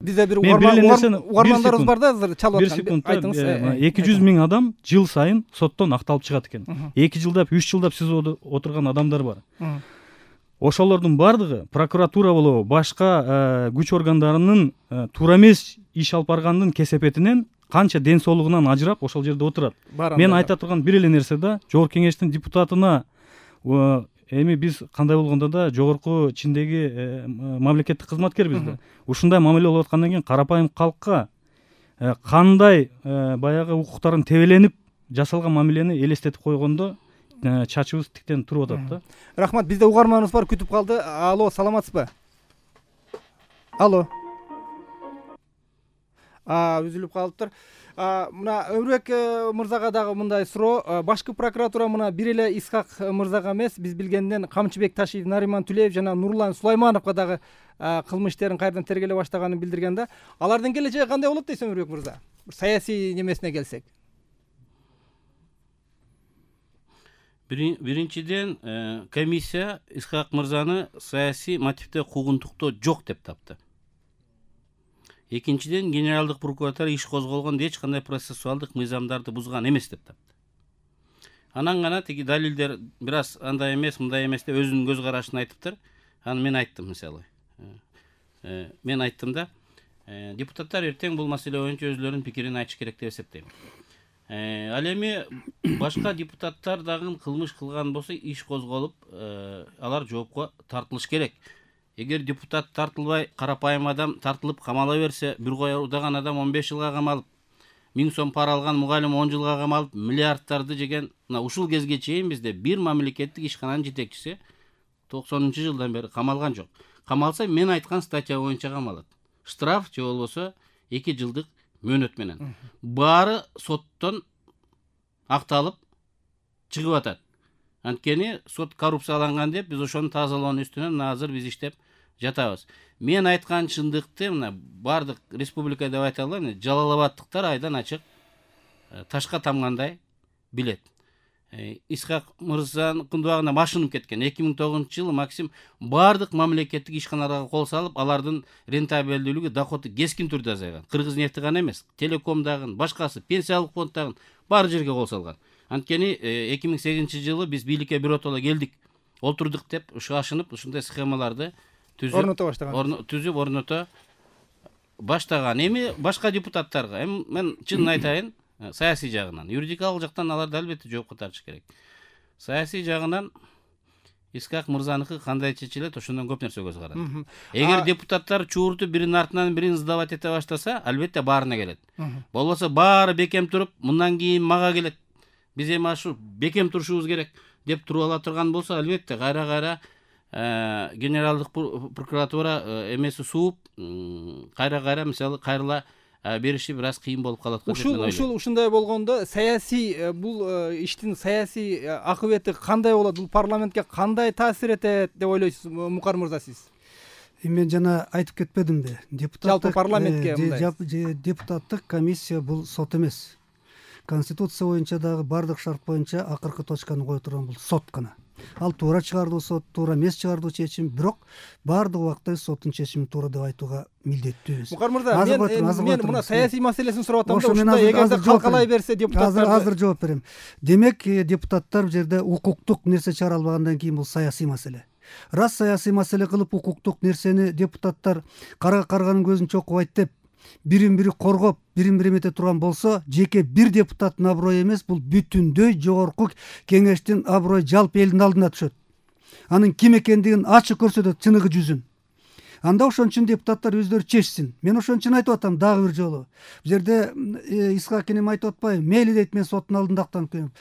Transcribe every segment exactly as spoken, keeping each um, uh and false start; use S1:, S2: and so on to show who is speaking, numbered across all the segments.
S1: бизде бир угармандарыбыз бар да азыр чалып аткан.
S2: Бир секунд. эки жүз миң адам жыл сайын соттон акталып чыгат экен. эки жылдап, үч жылдап сизоодо отурган адамдар бар. Ошолордун бардыгы прокуратура болобу, башка күч органдарынын туура эмес иш алып баргандын кесепетинен канча ден соолугунан ажырап ошол жерде отурат. Мен айта турган бир эле нерсе да, жогорку кеңештин депутатына эми биз кандай болгондо да жогорку чиндеги мамлекеттик кызматкербиз да. Ушундай мамиле болуп аткандан кийин карапайым калкка кандай баягы укуктарын тебеленип жасалган мамилени элестетип койгондо чачыбыз тиктен туруп атат да.
S1: Рахмат, бизде угарманыбыз бар, күтүп калды. Алло, саламатсызбы? Алло. А, үзүлүп калыптыр. Мына Өмүрбек мырзага дагы мындай суроо. Башкы прокуратура мына бир эле Исхак мырзага эмес, биз билгенден Камчыбек Ташиев, Нариман Түлеев жана Нурлан Сулаймановго дагы кылмыш иштерин кайрадан тергеле баштаганын билдирген да. Алардын келечеги кандай болот дейсиз Өмүрбек мырза? Саясий немесине келсек.
S3: Биринчиден, комиссия Исхак мырзаны саясий мотивде куугунтуктоо жок деп тапты. Экинчиден, генералдык прокуратура иш козголгондо эч кандай процессуалдык мыйзамдарды бузган эмес деп тапты. Анан гана тиги далилдер бир аз андай эмес, мындай эмес деп өзүнүн көз карашын айтыптыр. Аны мен айттым, мисалы. Мен айттым да, депутаттар эртең бул маселе боюнча өзүлөрүнүн пикирин айтыш керек деп эсептейм. Ал эми башка депутаттар дагы кылмыш кылган болсо иш козголуп, алар жоопко тартылыш керек. Эгер депутат тартылбай, карапайым адам тартылып камала берсе, бир кой удаган адам он беш жылга камалып, миң сом пара алган мугалим он жылга камалып, миллиардтарды жеген, мына ушул кезге чейин бизде бир мамлекеттик ишкананын жетекчиси токсонунчу жылдан бери камалган жок. Камалса, мен айткан статья боюнча камалат. Штраф же болбосо эки жылдык мөөнөт менен. Баары соттон акталып чыгып атат. Анткени сот коррупцияланган деп биз ошону тазалоонун үстүнөн азыр биз иштеп жатабыз. Мен айткан чындыкты мына бардык республика деп айта алам, Жалал Абадтыктар айдан ачык ташка тамгандай билет. Исхак мырзанын кындыбагына машынып кеткен. эки миң тогузунчу жылы Максим бардык мамлекеттик ишканаларга кол салып, алардын рентабелдүүлүгү, доходу кескин түрдө азайган. Кыргыз нефти гана эмес, Телеком дагы, башкасы, пенсиялык фонд дагы бар жерге кол салган. Анткени эки миң сегизинчи жылы биз бийликке биротоло келдик, олтурдук деп ашынып, ушундай схемаларды түзүп
S1: орното баштаган.
S3: Түзүп орното баштаган. Эми башка депутаттарга, эми мен чынын айтайын, саясий жагынан, юридикалык жактан аларды албетте жоопко тартыш керек. Саясий жагынан Исхак мырзаныкы кандай чечилет, ошондон көп нерсе көз карат. Эгер депутаттар чууртуп биринин артынан бирин сдавать эте баштаса, албетте баарына келет. Болбосо баары бекем туруп, мындан кийин мага келет. Биз эми ашу бекем турушубуз керек деп туруп ала турган болсо, албетте кайра-кайра генералдык прокуратура эмеси сууп, кайра-кайра мисалы кайрыла бериши бир аз кыйын болуп калат.
S1: Ушул ушул ушундай болгондо саясий бул иштин саясий акыбети кандай болот? Бул парламентке кандай таасир этет деп ойлойсуз, Мукар мырза сиз?
S4: Мен жана айтып кетпедимби?
S1: Депутаттык парламентке
S4: мындай депутаттык комиссия бул сот эмес. Конституция боюнча дагы бардык шарт боюнча акыркы точканы кое турган бул сот гана. Ал туура чыгардуу сот, туура эмес чыгардуу чечим, бирок бардык убакта соттун чечими туура деп айтууга милдеттүүбүз.
S1: Мукар мырза, мен мына саясий маселесин сурап атам да, ушундай эгерде калкалай берсе депутаттар
S4: азыр жооп берем. Демек, депутаттар бул жерде укуктук нерсе чыгара албагандан кийин бул саясий маселе. Раз саясий маселе кылып укуктук нерсени депутаттар карга карганын көзүн чокубайт деп бирин бири коргоп, бирин бири эмете турган болсо, жеке бир депутаттын аброю эмес, бул бүтүндөй жогорку кеңештин аброю жалпы элдин алдына түшөт. Анын ким экендигин ачык көрсөтөт чыныгы жүзүн. Анда ошон үчүн депутаттар өздөрү чечсин. Мен ошон үчүн айтып атам дагы бир жолу. Бул жерде Исхак энем айтып атпайбы? Мейли дейт, мен соттун алдында актанып келем.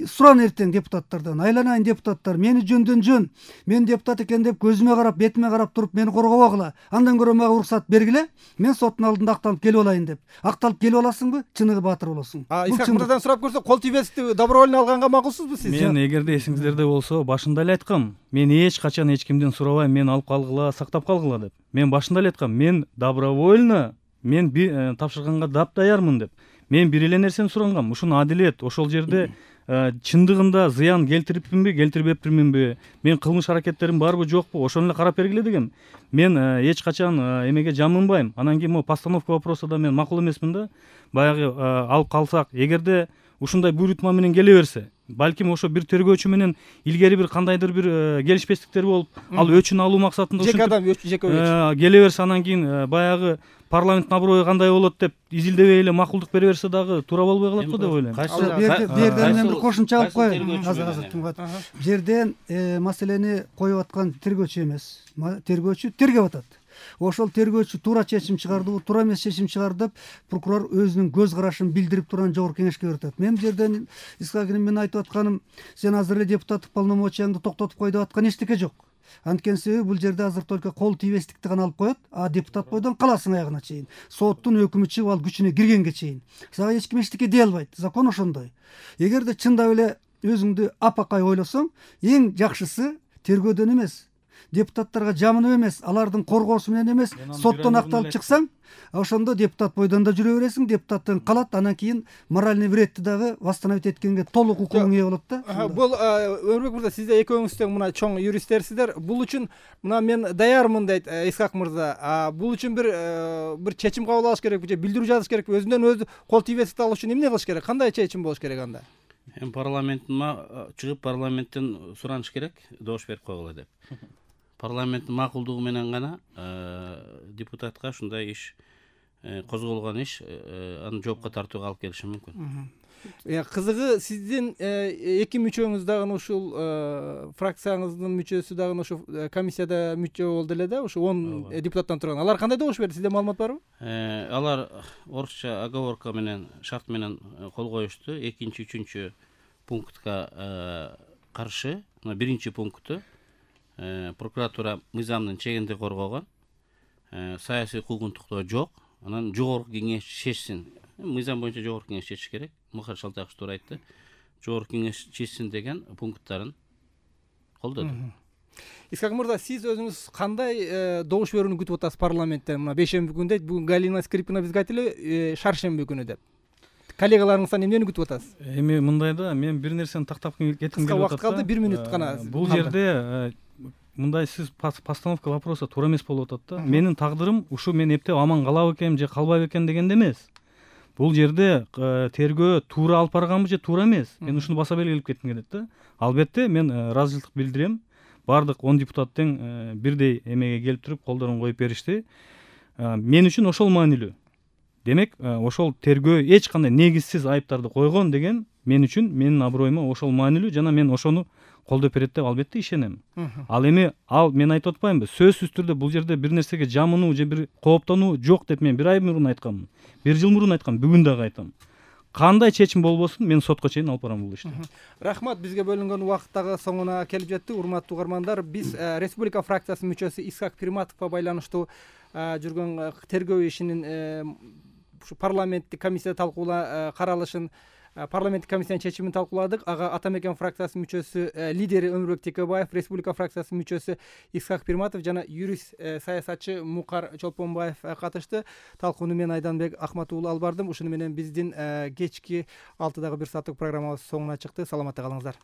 S4: Суран эртең депутаттардан, айланайын депутаттар, мени жөндөн жөн, мен депутат экен деп көзүмө карап, бетиме карап туруп мени коргобогула. Андан көрө мага уруксат бергиле, мен соттун алдында актанып келип алайын деп. Акталып келип аласыңбы? Чыныгы баатыр болосуң.
S1: Исхак мырзадан сурап көрсө, кол тийбестикти добровольно алганга макулсузбу сиз?
S2: Мен эгерде эсиңиздерде болсо, башында эле айткам, мен эч качан эч кимден сурабайм, мен алып калгыла, сактап калгыла деп. Мен башында эле айткам, мен добровольно, мен тапшырганга дап даярмын деп. Мен бир эле нерсени сурангам, ушуну адилет, ошол жерде чындыгында зыян келтириппинби келтирбеппирминби, мен кылмыш аракеттерим барбы жокпу, ошону эле карап бергиле дегем. Мен эч качан эмеге жамынбайм. Анан кийин могу постановка вопроса да мен макул эмесмин да. Баягы алып калсак, эгерде ушундай буйрутма менен келе берсе, балким ошо бир тергөөчү менен илгери бир кандайдыр бир келишпестиктер болуп, ал өчүн алуу максатында
S1: жеке адам жеке өчүн
S2: келе берсе, анан кийин баягы парламенттин аброю кандай болот деп изилдебей эле макулдук бере берсе дагы туура болбой калат го деп ойлойм.
S4: бу жерден мен бир кошумча алып коеюн. азыр азыр тыңгат. Бу жерден маселени коюп аткан тергөөчү эмес, тергөөчү тергеп атат. Ошол тергөөчү туура чечим чыгардыбы, туура эмес чечим чыгарды деп прокурор өзүнүн көз карашын билдирип турган жогорку кеңешке берип атат. Мен бу жерден Исхаковдун мен айтып атканым, сен азыр эле депутаттык полномочияңды токтотуп кой деп аткан эчтеке жок. Анткени себеби бул жерде азыр только кол тийбестикти гана алып коет, а депутат бойдон каласың аягына чейин. Соттун өкүмү чыгып ал күчүнө киргенге чейин сага эч ким эчтеке дей албайт. Закон ошондой. Эгерде чындап эле өзүңдү апакай ойлосоң, эң жакшысы тергөөдөн эмес, депутаттарга жамынып эмес, алардын коргоосу менен эмес, соттон акталып чыксаң, ошондо депутат бойдон да жүрө бересиң, депутаттын калат, анан кийин моральный вредти дагы восстановить эткенге толук укугуң ээ болот да.
S1: Бул Өмүрбек мырза, сиздер экөөңүз тең мына чоң юристтерсиздер. Бул үчүн мына мен даярмын дейт Исхак мырза. Бул үчүн бир бир чечим кабыл алыш керекпи же билдирүү жазыш керекпи? Өзүнөн өзү кол тийбестикти алыш үчүн эмне кылыш керек? Кандай чечим болуш керек анда?
S3: Эми парламенттин чыгып парламенттен сураныш керек, добуш берип койгула деп. Парламенттин макулдугу менен гана депутатка ушундай иш козголгон иш аны жоопко тартууга алып келиши мүмкүн.
S1: Кызыгы, сиздин эки мүчөңүз дагы ушул фракцияңыздын мүчөсү дагы ошо комиссияда мүчө болду эле да, ошо он депутаттан турган. Алар кандай добуш берди? Сизде маалымат барбы?
S3: Алар орусча оговорка менен, шарт менен кол коюшту. Экинчи, үчүнчү пунктка каршы, биринчи пункту прокуратура мыйзамдын чегинди коргогон, саясий куугунтуктоо жок. Анан жогорку кеңеш чечсин. Мыйзам боюнча жогорку кеңеш чечиш керек. Мухар Шалтаков туура айтты. Жогорку кеңеш чечсин деген пункттарын колдоду.
S1: Исхак мырза, сиз өзүңүз кандай добуш берүүнү күтүп атасыз парламенттен? Мына бейшемби күнү дейт, бүгүн Галина Скрипкина бизге айтты эле шаршемби күнү деп. Коллегаларыңыздан эмнени күтүп атасыз?
S2: Эми мындай да, мен бир нерсени тактап кетким келип атат.
S1: Кыска убакыт калды, бир мүнөт гана.
S2: Бул жерде мындай сиз постановка вопроса туура эмес болуп атат да. Менин тагдырым ушу мен эптеп аман калабы экеним же калбайбы экен дегенде эмес. Бул жерде тергөө туура алып барганбы же туура эмес. Мен ушуну баса белгилеп кетким келет да. Албетте мен ыраазычылык билдирем. Бардык он депутат тең бирдей эмеге келип туруп колдорун коюп беришти. Мен үчүн ошол маанилүү. Демек, ошол тергөө эч кандай негизсиз айыптарды койгон деген мен үчүн, менин аброюма ошол маанилүү жана мен ошону колдоп берет деп албетте ишенем. Ал эми ал мен айтып атпаймынбы? Сөзсүз түрдө бул жерде бир нерсеге жамынуу же бир кооптонуу жок деп мен бир ай мурун айтканмын. Бир жыл мурун айткам, бүгүн дагы айтам. Кандай чечим болбосун, мен сотко чейин алып барам бул ишти.
S1: Рахмат, бизге бөлүнгөн убакыт дагы соңуна келип жетти. Урматтуу угармандар, биз Республика фракциясынын мүчөсү Исхак Пирматовго байланыштуу жүргөн тергөө ишинин ушу парламенттик комиссияда талкуула каралышын, парламенттик комиссиянын чечимин талкууладык. Ага Ата Мекен фракциясынын мүчөсү, лидери Өмүрбек Текебаев, Республика фракциясынын мүчөсү Исхак Пирматов жана юрист саясатчы Мукар Чолпонбаев катышты. Талкууну мен Айданбек Ахматуулу алып бардым. Ушуну менен биздин кечки алтыдагы бир сааттык программабыз соңуна чыкты. Саламатта калыңыздар.